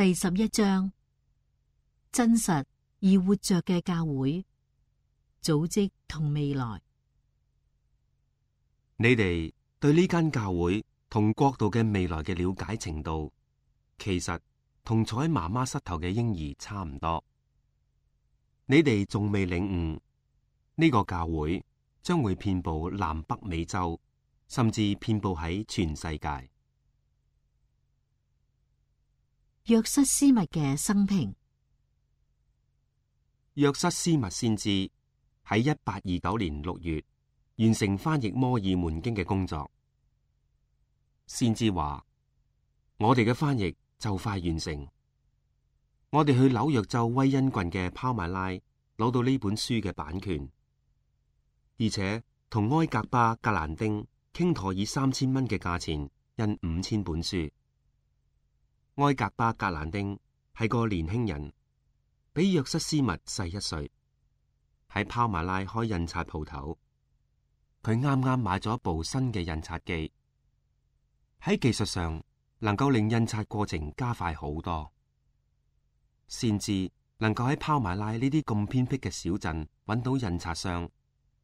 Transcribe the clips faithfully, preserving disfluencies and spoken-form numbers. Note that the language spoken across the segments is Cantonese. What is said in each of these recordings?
第十一章，真實而活着嘅教會組織同未來。你哋對呢間教會同國度嘅未來嘅了解程度，其實同坐喺媽媽膝頭嘅嬰兒差唔多。你哋仲未領悟呢個教會將會遍布南北美洲，甚至遍布喺全世界。約瑟斯密嘅生平。約瑟斯密先知喺一八二九年六月完成翻譯摩爾門經嘅工作。先知話：我哋嘅翻譯就快完成，我哋去紐約州威恩郡嘅拋馬拉攞到呢本書嘅版權，而且同埃格巴格蘭丁傾妥以三千蚊嘅價錢印五千本書。埃格巴格蘭丁係個年輕人，比約瑟斯密細一歲，喺拋馬拉開印刷鋪頭。佢啱啱買咗一部新嘅印刷機，喺技術上能夠令印刷過程加快好多。先至能夠喺拋馬拉呢啲咁偏僻嘅小鎮揾到印刷商，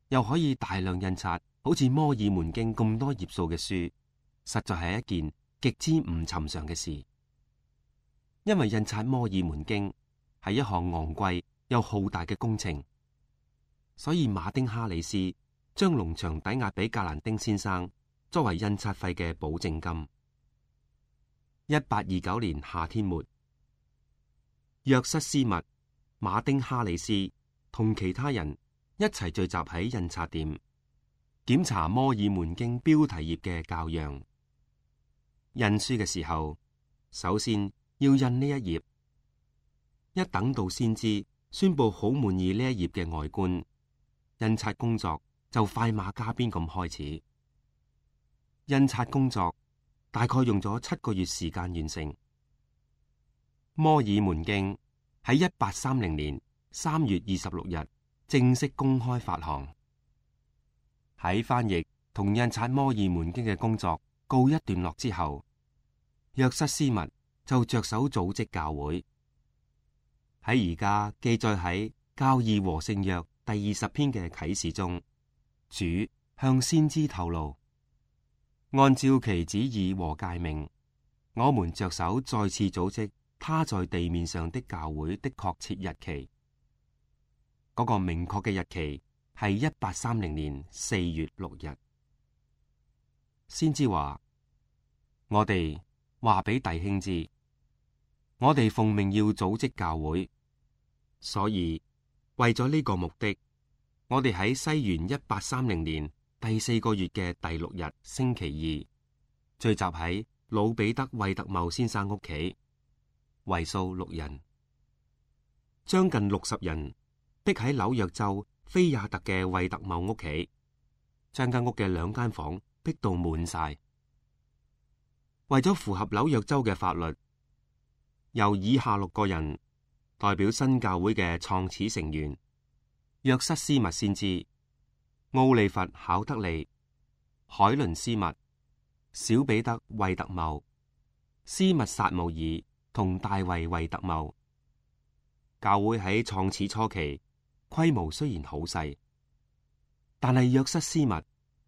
又可以大量印刷好似摩爾門經咁多頁數嘅書，實在係一件極之唔尋常嘅事。因為印刷摩爾門經係一項昂貴又浩大嘅工程，所以馬丁哈里斯將農場抵押俾格蘭丁先生作為印刷費嘅保證金。一八二九年夏天末，約瑟斯密、馬丁哈里斯同其他人一齊聚集喺印刷店，檢查摩爾門經標題頁嘅校樣。印書嘅時候，首先要印呢一頁。一等到先知宣布好滿意呢一頁嘅外觀，印刷工作就快馬加鞭咁開始。印刷工作大概用咗七個月時間完成。摩爾門經喺一八三零年三月二十六日正式公開發行。喺翻譯同印刷摩爾門經嘅工作告一段落之後，約瑟斯密就着手組織教會。喺而家記載喺教義和聖約第二十篇嘅啟示中，主向先知透露，按照其旨意和誡命，我們着手再次組織他在地面上的教會的確切日期。嗰、那個明確嘅日期係一八三零年四月六日。先知話：我哋話俾弟兄知。我哋奉命要組織教會，所以為咗呢個目的，我哋喺西元一八三零年第四個月嘅第六日星期二，聚集喺老彼得惠特茂先生屋企，為數六人，將近六十人逼喺紐約州菲亞特嘅惠特茂屋企，將間屋嘅兩間房逼到滿晒。為咗符合紐約州嘅法律，由以下六個人代表新教會嘅創始成員：約瑟斯密先知、奧利弗考德利、海倫斯密、小彼得惠特茂、斯密撒姆爾同大衛惠特茂。教會喺創始初期規模雖然好細，但係約瑟斯密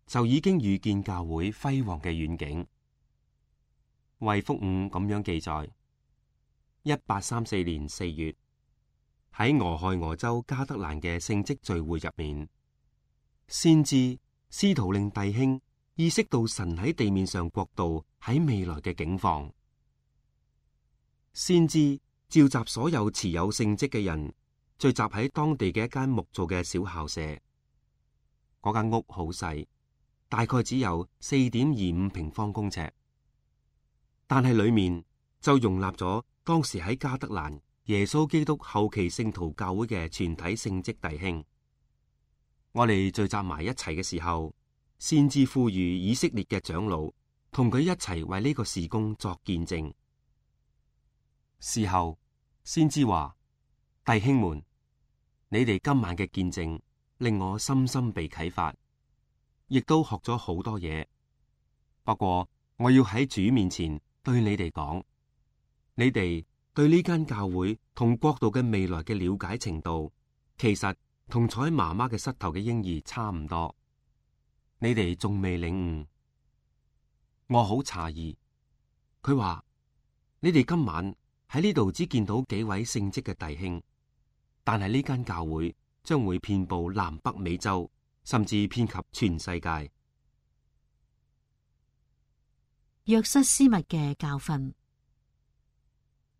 就已經預見教會輝煌嘅遠景。衛福五咁樣記載：一八三四年四月，喺俄亥俄州加德蘭嘅聖職聚會入面，先知試圖令弟兄意識到神喺地面上國度喺未來嘅境況。先知召集所有持有聖職嘅人，聚集喺當地嘅一間木造嘅小校舍。嗰間屋好細，大概只有四點二五平方公尺，但係裏面就容納咗當時喺加德蘭耶穌基督後期聖徒教會嘅全體聖職弟兄。我哋聚集埋一齊嘅時候，先至呼籲以色列嘅長老同佢一齊為呢個事工作見證。事後先知話：弟兄們，你哋今晚嘅見證令我深深被啟發，亦都學咗好多嘢。不過我要喺主面前對你哋講，你哋對呢間教會同國度嘅未來嘅了解程度，其實同坐喺媽媽嘅膝頭嘅嬰兒差唔多。你哋仲未領悟，我好詫異。佢話：你哋今晚喺呢度只見到幾位聖職嘅弟兄，但係呢間教會將會遍布南北美洲，甚至遍及全世界。約瑟斯密嘅教訓。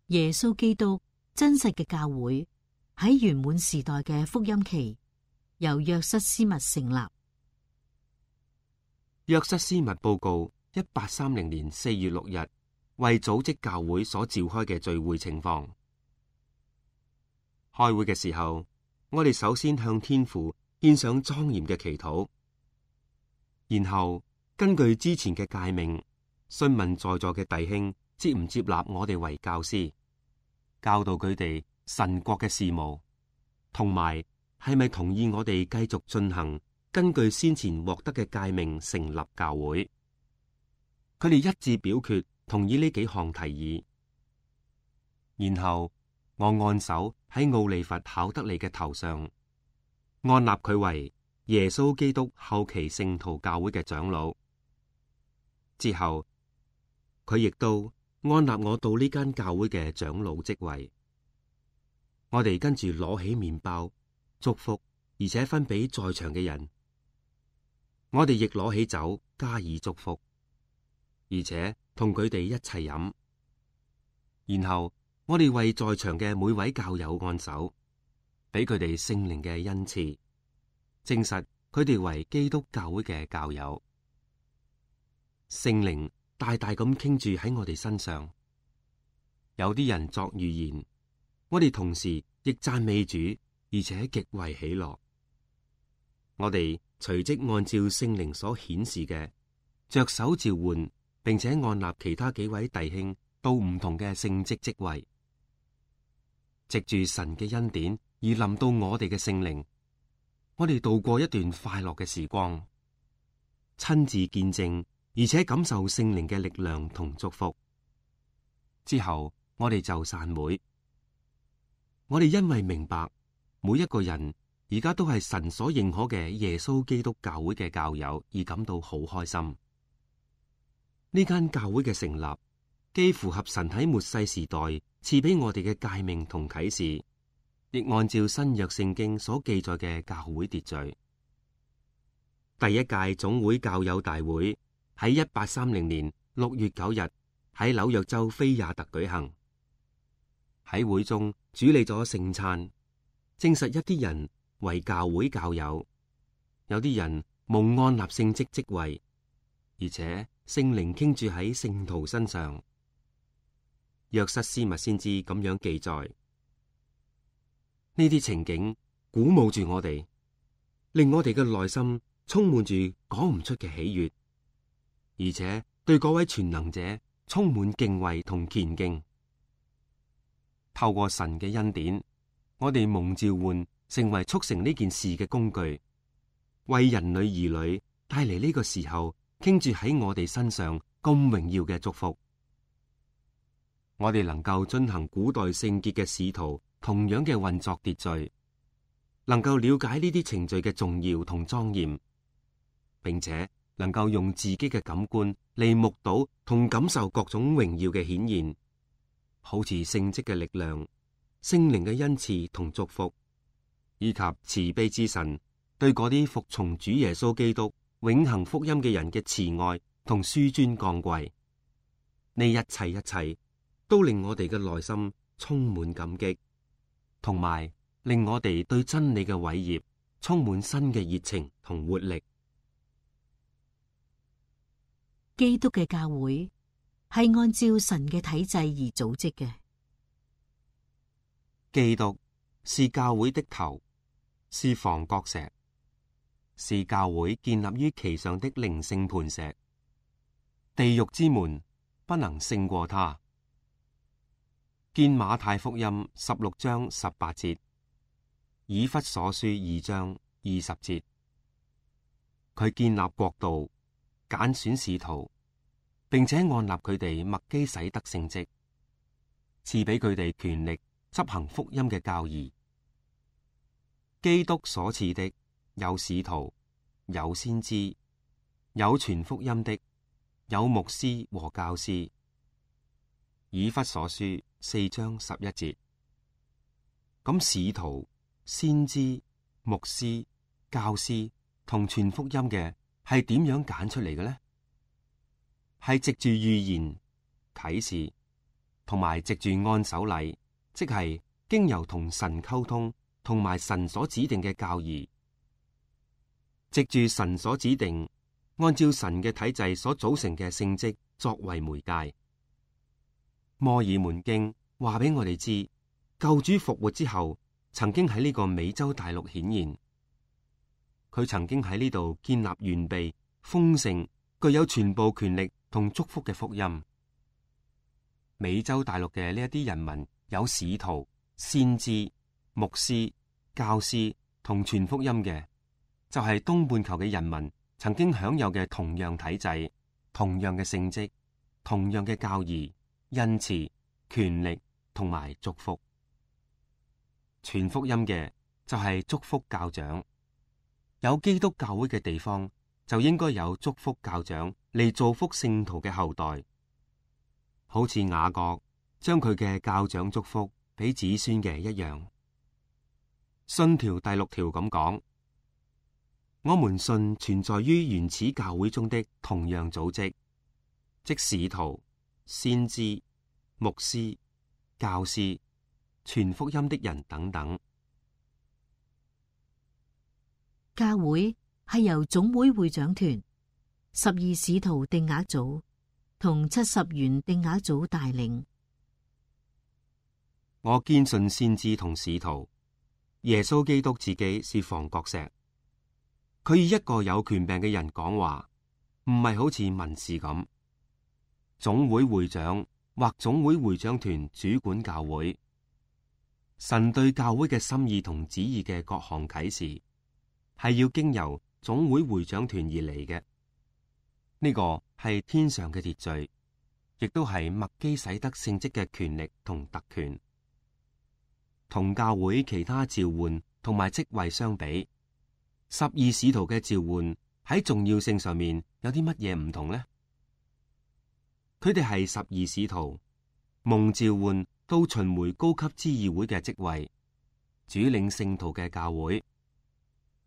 耶穌基督真實嘅教會喺圓滿時代嘅福音期，由約瑟斯密成立。約瑟斯密報告一八三零年四月六日為組織教會所召開嘅聚會情況。開會嘅時候，我哋首先向天父獻上莊嚴嘅祈禱，然後根據之前嘅誡命，詢問在座嘅弟兄接唔接納我哋為教師，教導佢哋神國嘅事務，同埋係咪同意我哋繼續進行根據先前獲得嘅誡命成立教會。佢哋一致表決同意呢幾項提議。然後我按手喺奧利弗考德利嘅頭上，按立佢為耶穌基督後期聖徒教會嘅長老。之後佢亦都安立我到呢間教會嘅長老職位。我哋跟住攞起麵包祝福，而且分俾在場嘅人。我哋亦攞起酒加以祝福，而且同佢哋一齊飲。然後我哋為在場嘅每位教友按手，俾佢哋聖靈嘅恩賜，證實佢哋為基督教會嘅教友。聖靈大大咁傾注喺我哋身上，有啲人作預言，我哋同時亦讚美主，而且極為喜樂。我哋隨即按照聖靈所顯示嘅，着手召喚，並且按立其他幾位弟兄到唔同嘅聖職職位，藉住神嘅恩典而臨到我哋嘅聖靈，我哋度過一段快樂嘅時光，親自見證。而且感受聖靈嘅力量同祝福之後，我哋就散會。我哋因為明白每一個人而家都係神所認可嘅耶穌基督教會嘅教友，而感到好開心。呢間教會嘅成立，既符合神喺末世時代賜俾我哋嘅誡命同啟示，亦按照新約聖經所記載嘅教會秩序。第一屆總會教友大會喺一八三零年六月九日喺紐約州菲亞特舉行。喺會中主理咗聖餐，證實一啲人為教會教友，有啲人蒙按立聖職職位，而且聖靈傾注喺聖徒身上。約瑟斯密先知咁樣記載，呢啲情景鼓舞住我哋，令我哋嘅內心充滿住講唔出嘅喜悅。而且對嗰位全能者充滿敬畏同虔敬。透過神嘅恩典，我哋蒙召喚成為促成呢件事嘅工具，為人類兒女帶嚟呢個時候傾注喺我哋身上咁榮耀嘅祝福。我哋能夠遵行古代聖潔嘅使徒同樣嘅運作秩序，能夠了解呢啲程序嘅重要同莊嚴，並且能夠用自己嘅感官嚟目睹同感受各種榮耀嘅顯現，好似聖職嘅力量、聖靈嘅恩賜同祝福，以及慈悲之神對嗰啲服從主耶穌基督永恆福音嘅人嘅慈愛同紆尊降貴。呢一切一切都令我哋嘅內心充滿感激，同埋令我哋對真理嘅偉業充滿新嘅熱情同活力。基督嘅教會係按照神嘅體制而組織嘅。基督是教會的頭，是房角石，是教會建立於其上的靈性磐石。地獄之門不能勝過他。見馬太福音十六章十八節，以弗所書二章二十節。佢建立國度，揀選使徒，並且按立佢哋麥基洗德聖職。賜俾佢哋權力執行福音嘅教義。基督所賜的有使徒，有先知，有傳福音的，有牧師和教師。以弗所書四章十一節。咁使徒、先知、牧師、教師同傳福音嘅係點樣揀出嚟嘅呢？係藉住預言、啟示，同埋藉住按手禮，即係經由同神溝通，同埋神所指定嘅教義，藉住神所指定，按照神嘅體制所組成嘅聖職作為媒介。摩爾門經話俾我哋知，救主復活之後，曾經喺呢個美洲大陸顯現。佢曾經喺呢度建立完備、豐盛、具有全部權力同祝福嘅福音。美洲大陸嘅呢一啲人民有使徒、先知、牧師、教師同傳福音嘅，就係東半球嘅人民曾經享有嘅同樣體制、同樣嘅聖職、同樣嘅教義、恩賜、權力同埋祝福。傳福音嘅就係祝福教長。有基督教會嘅地方，就應該有祝福教長嚟造福聖徒嘅後代。好似雅各將佢嘅教長祝福俾子孫嘅一樣。信條第六條咁講：我們信存在於原始教會中的同樣組織，即使徒、先知、牧師、教師、傳福音的人等等。教會係由總會會長團、十二使徒定額組同七十員定額組帶領。我堅信先知同使徒，耶穌基督自己是房角石。佢以一個有權柄嘅人講話，唔係好似文士咁。總會會長或總會會長團主管教會。神對教會嘅心意同旨意嘅各項啟示，係要經由總會會長團而嚟嘅。呢個係天上嘅秩序，亦都係麥基洗德聖職嘅權力同特權。同教會其他召喚同埋職位相比，十二使徒嘅召喚喺重要性上面有啲乜嘢唔同呢？佢哋係十二使徒，蒙召喚到巡迴高級之議會嘅職位，主領聖徒嘅教會。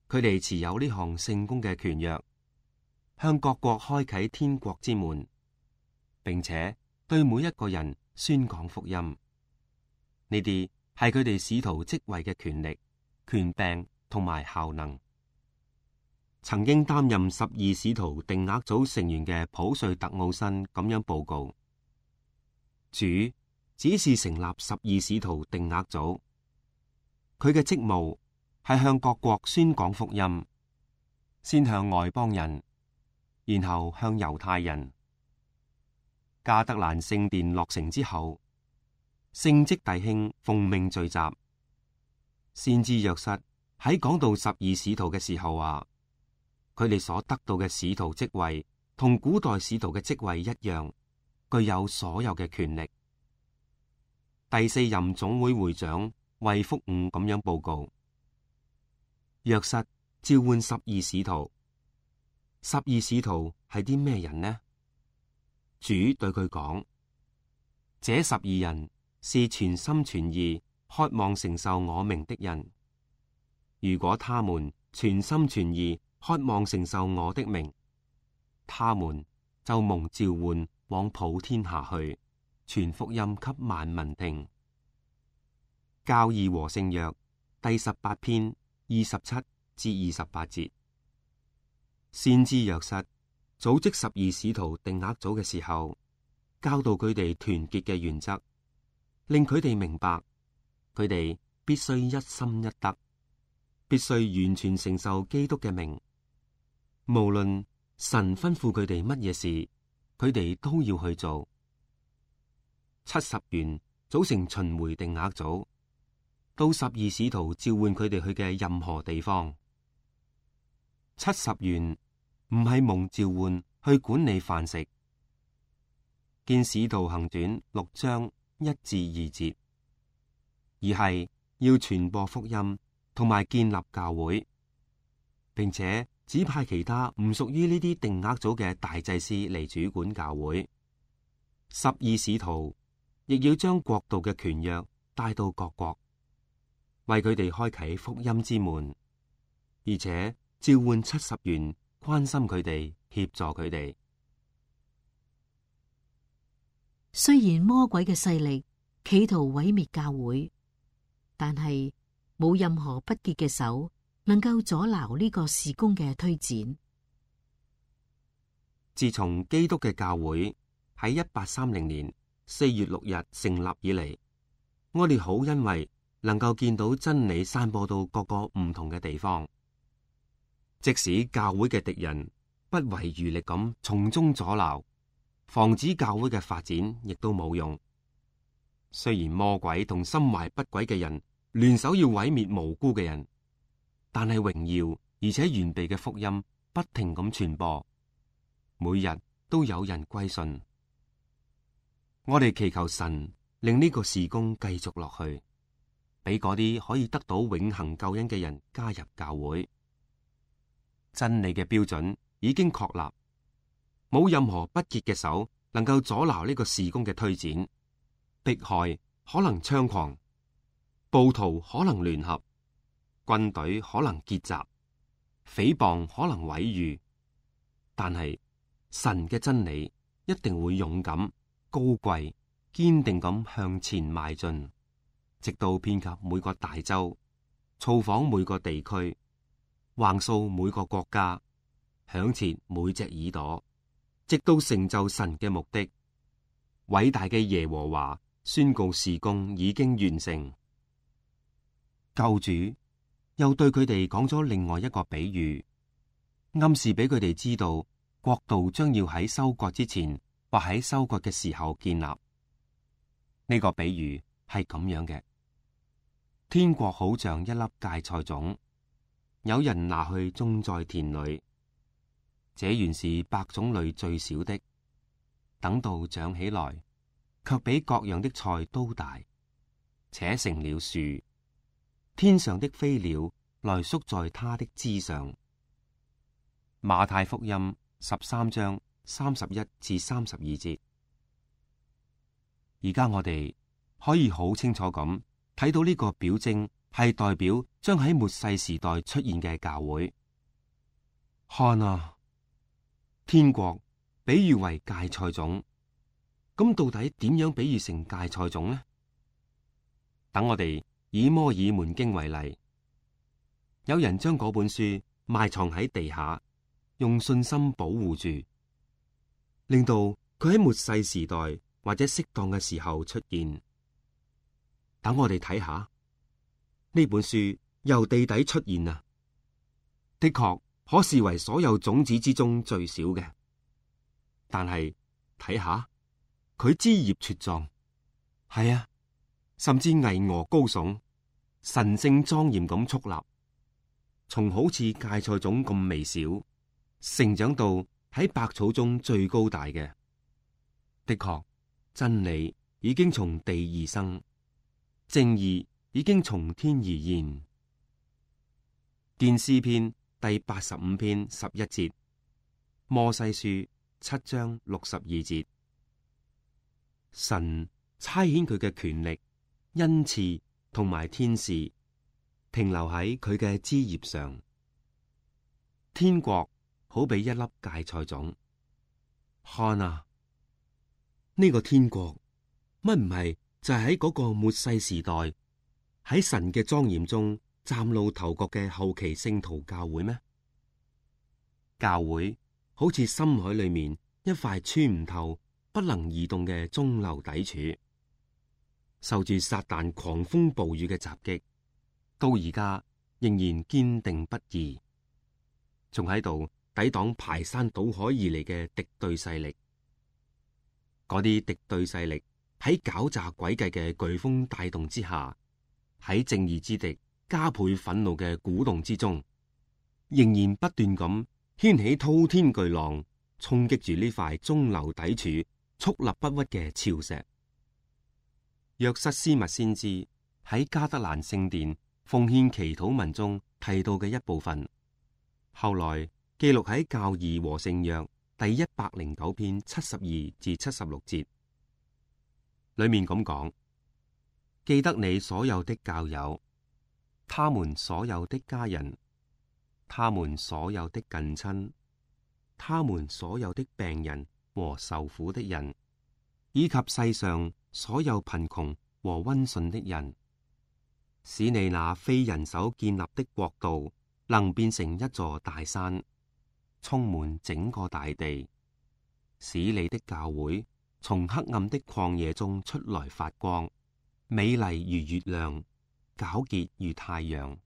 佢哋持有呢項聖工嘅權約，向各國開啟天國之門，並且對每一個人宣講福音。呢啲係佢哋使徒職位嘅權力、權柄同埋效能。曾經擔任十二使徒定額組成員嘅普瑞特奧辛咁樣報告：主只是成立十二使徒定額組，佢嘅職務係向各國宣講福音，先向外邦人，然後向猶太人。加德蘭聖殿落成之後，聖職弟兄奉命聚集。先知約瑟喺講到十二使徒嘅時候話，佢哋所得到嘅使徒職位同古代使徒嘅職位一樣，具有所有嘅權力。第四任總會會長衛福伍咁樣報告：約瑟召喚十二使徒。十二使徒係啲咩人呢？主對佢講：這十二人是全心全意渴望承受我名的人。如果他們全心全意渴望承受我的名，他們就蒙召喚往普天下去，傳福音給萬民聽。教義和聖約第十八篇二十七至二十八節。先知約瑟組織十二使徒定額組嘅時候，教導佢哋團結嘅原則，令佢哋明白佢哋必須一心一德，必須完全承受基督嘅名。無論神吩咐佢哋乜嘢事，佢哋都要去做。七十員組成巡迴定額組，到十二使徒召喚佢哋去嘅任何地方。七十員唔係蒙召喚去管理飯食。見使徒行傳六章一至二節，而係要傳播福音同埋建立教會，並且指派其他唔屬於呢啲定額組嘅大祭司嚟主管教會。十二使徒亦要將國度嘅權約帶到各國，為佢哋開啟福音之門，而且召喚七十員關心佢哋，協助佢哋。雖然魔鬼嘅勢力企圖毀滅教會，但係冇任何不潔嘅手能夠阻撓呢個事工嘅推展。自從基督嘅教會喺一八三零年四月六日成立以嚟，我哋好欣慰能夠見到真理散播到各個唔同嘅地方，即使教會嘅敵人不遺餘力咁從中阻撓，防止教會嘅發展，亦都冇用。雖然魔鬼同心懷不軌嘅人聯手要毀滅無辜嘅人，但係榮耀而且完備嘅福音不停咁傳播，每日都有人歸信。我哋祈求神令呢個事工繼續落去，俾嗰啲可以得到永恆救恩嘅人加入教會。真理嘅標準已經確立，冇任何不潔嘅手能夠阻撓呢個事工嘅推展。迫害可能猖狂，暴徒可能聯合，軍隊可能結集，誹謗可能毀譽，但係神嘅真理一定會勇敢、高貴、堅定咁向前邁進，直到遍及每個大洲，造訪每個地區，橫掃每個國家，響徹每隻耳朵，直到成就神嘅目的。偉大嘅耶和華宣告事工已經完成。救主又對佢哋講咗另外一個比喻，暗示俾佢哋知道國度將要喺收割之前或喺收割嘅時候建立。呢個比喻係咁樣嘅：天國好像一粒芥菜種，有人拿去種在田裏，這原是百種類最小的，等到長起來，卻比各樣的菜都大，且成了樹，天上的飛鳥來宿在它的枝上。馬太福音十三章三十一至三十二節。而家我哋可以好清楚咁睇到呢個表徵係代表將喺末世時代出現嘅教會。看啊，天國比喻為芥菜種。咁到底點樣比喻成芥菜種呢？等我哋以摩爾門經為例，有人將嗰本書埋藏喺地下，用信心保護住，令到佢喺末世時代或者適當嘅時候出現。等我哋睇下呢本書由地底出現啊，的確可視為所有種子之中最小嘅，但係睇下。佢枝葉茁壯，係啊，甚至巍峨高聳，神聖莊嚴咁矗立，從好似芥菜種咁微小，成長到喺百草中最高大嘅。的確，真理已經從地而生，正義已經從天而現。見詩篇第八十五篇十一節，摩西書七章六十二節。神差遣佢嘅權力、恩賜同埋天使停留喺佢嘅枝葉上。天國好比一粒芥菜種，看啊，呢個天國乜唔係就係喺嗰個末世時代喺神嘅莊嚴中嶄露頭角嘅後期聖徒教會咩？教會好似深海裏面一塊穿唔透、不能移動嘅中流砥柱，受住撒旦狂風暴雨嘅襲擊，到而家仍然堅定不移，仲喺度抵擋排山倒海而嚟嘅敵對勢力。嗰啲敵對勢力喺狡詐詭計嘅颶風帶動之下，喺正義之敵加倍憤怒嘅鼓動之中，仍然不斷咁掀起滔天巨浪，衝擊住呢塊中流砥柱，矗立不屈嘅礁石。約瑟斯密先知喺加德蘭聖殿奉獻祈禱文中提到嘅一部分，後來記錄喺教義和聖約第一百零九篇七十二至七十六節，裏面咁講：記得你所有的教友，他們所有的家人，他們所有的近親，他們所有的病人和受苦的人，以及世上所有貧窮和溫順的人，使你那非人手建立的國度能變成一座大山，充滿整個大地，使你的教會從黑暗的曠野中出來發光，美麗如月亮，皎潔如太陽，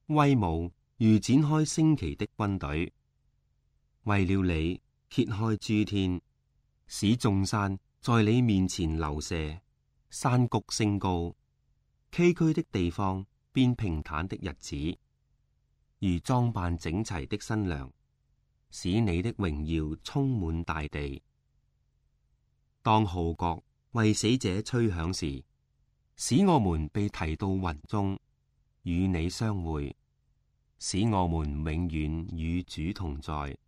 威武如展開旌旗的軍隊。為了你揭開諸天，使眾山在你面前流瀉，山谷升高，崎嶇的地方變平坦的日子，如裝扮整齊的新娘，使你的榮耀充滿大地。當號角為死者吹響時，使我們被提到雲中，與你相會，使我們永遠與主同在，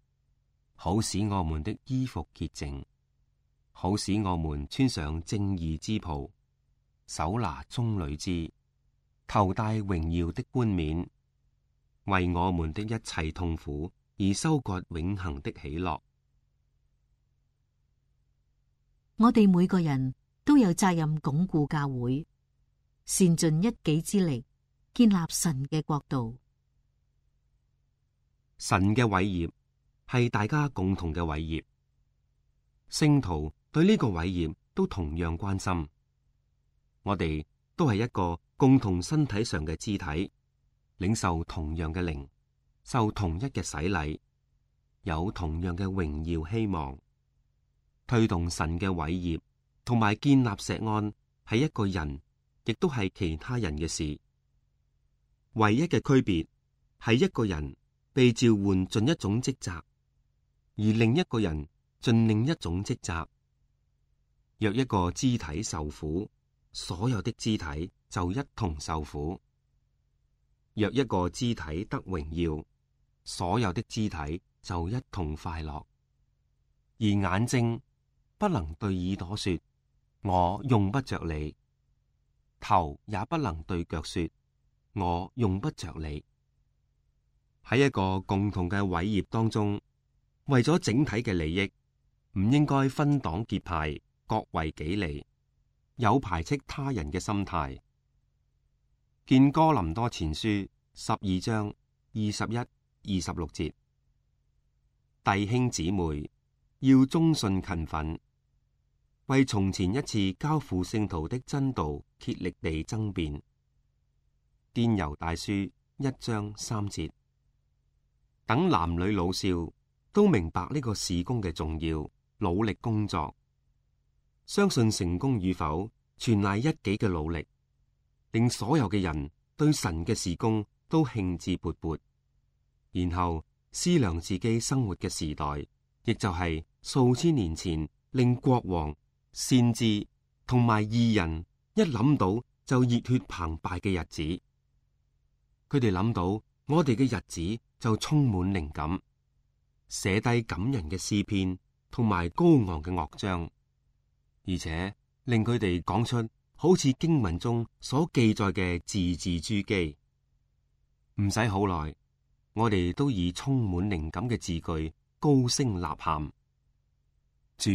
好使我們的衣服潔淨，好使我們穿上正義之袍，手拿棕櫚枝，頭戴榮耀的冠冕，為我們的一切痛苦而收割永恆的喜樂。我哋每個人都有責任鞏固教會，善盡一己之力，建立神嘅國度。神嘅偉業係大家共同嘅偉業，聖徒對呢個偉業都同樣關心。我哋都係一個共同身體上嘅肢體，領受同樣嘅靈，受同一嘅洗禮，有同樣嘅榮耀希望。推動神嘅偉業同埋建立錫安係一個人，亦都係其他人嘅事。唯一嘅區別係一個人被召喚盡一種職責，而另一個人盡另一種職責。若一個肢體受苦，所有的肢體就一同受苦；若一個肢體得榮耀，所有的肢體就一同快樂。而眼睛不能對耳朵說：我用不着你；頭也不能對腳說：我用不着你。喺一個共同嘅偉業當中，為咗整體嘅利益，唔應該分黨結派，各為己利，有排斥他人嘅心態。見哥林多前書十二章二十一、二十六節，弟兄姊妹要忠信勤奮，為從前一次交付聖徒的真道竭力地爭辯。見猶大書一章三節，等男女老少都明白呢個事工嘅重要，努力工作。相信成功與否，全賴一己嘅努力，令所有嘅人對神嘅事工都興致勃勃。然後思量自己生活嘅時代，亦就係數千年前令國王、先知同埋義人一諗到就熱血澎湃嘅日子。佢哋諗到我哋嘅日子就充滿靈感，寫低感人嘅詩篇同埋高昂嘅樂章，而且令佢哋講出好似經文中所記載嘅字字珠璣。唔使好耐，我哋都以充滿靈感嘅字句高聲吶喊：主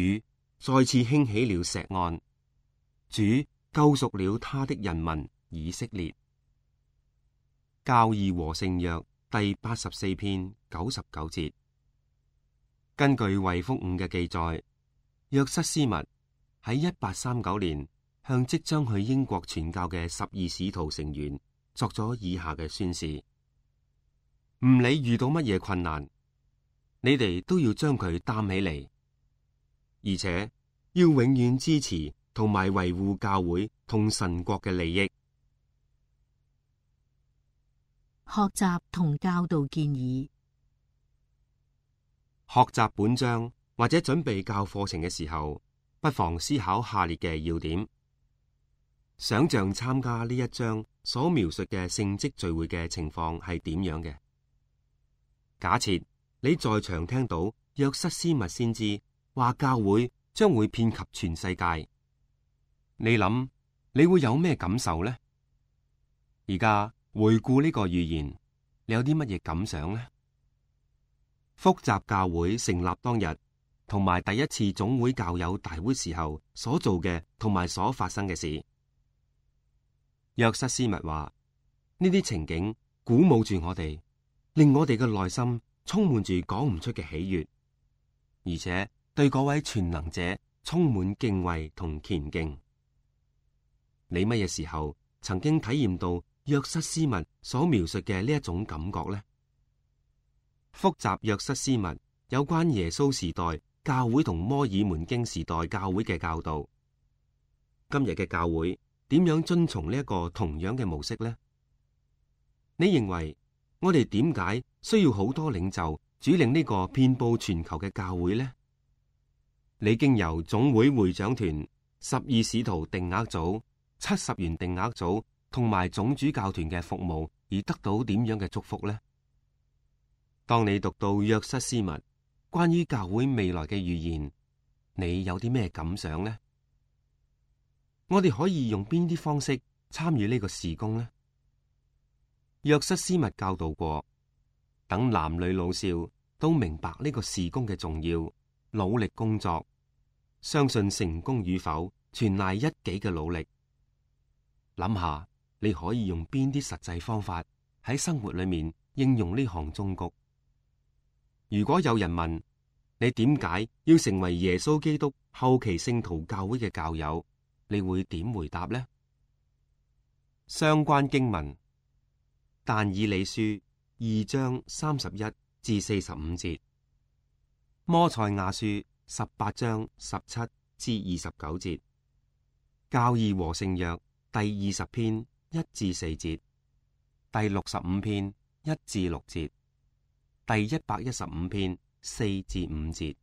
再次興起了錫安，主救贖了他的人民以色列。教義和聖約第八十四篇九十九節。根據衛福五嘅記載，約瑟斯密喺一八三九年向即將去英國傳教嘅十二使徒成員作咗以下嘅宣示：唔理遇到乜嘢困難，你哋都要將佢擔起嚟，而且要永遠支持同埋維護教會同神國嘅利益。學習同教導建議。學習本章或者準備教課程嘅時候，不妨思考下列嘅要點：想象參加呢一章所描述嘅聖職聚會嘅情況係點樣嘅。假設你在場聽到約瑟斯密先知話教會將會遍及全世界，你諗你會有咩感受呢？而家回顧呢個預言，你有啲乜嘢感想呢？複雜教會成立當日，同埋第一次總會教友大會時候所做嘅同埋所發生嘅事。約瑟斯密話呢啲情景鼓舞住我哋，令我哋嘅內心充滿住講唔出嘅喜悅，而且對嗰位全能者充滿敬畏同虔敬。你乜嘢時候曾經體驗到約瑟斯密所描述嘅呢一種感覺呢？複雜約瑟斯密有關耶穌時代教會同摩爾門經時代教會嘅教導，今日嘅教會點樣遵從呢一個同樣嘅模式呢？你認為我哋點解需要好多領袖主領呢個遍佈全球嘅教會呢？你經由總會會長團、十二使徒定額組、七十員定額組同埋總主教團嘅服務而得到點樣嘅祝福呢？當你讀到約瑟斯密關於教會未來嘅預言，你有啲咩感想呢？我哋可以用邊啲方式參與呢個事工呢？約瑟斯密教導過，等男女老少都明白呢個事工嘅重要，努力工作，相信成功與否全賴一己嘅努力。諗下你可以用邊啲實際方法喺生活裏面應用呢項忠告。如果有人問你點解要成為耶穌基督後期聖徒教會嘅教友，你會點回答呢？相關經文：但以理書二章三十一至四十五節，摩賽亞書十八章十七至二十九節，教義和聖約第二十篇一至四節，第六十五篇一至六節，第一百一十五篇四至五節。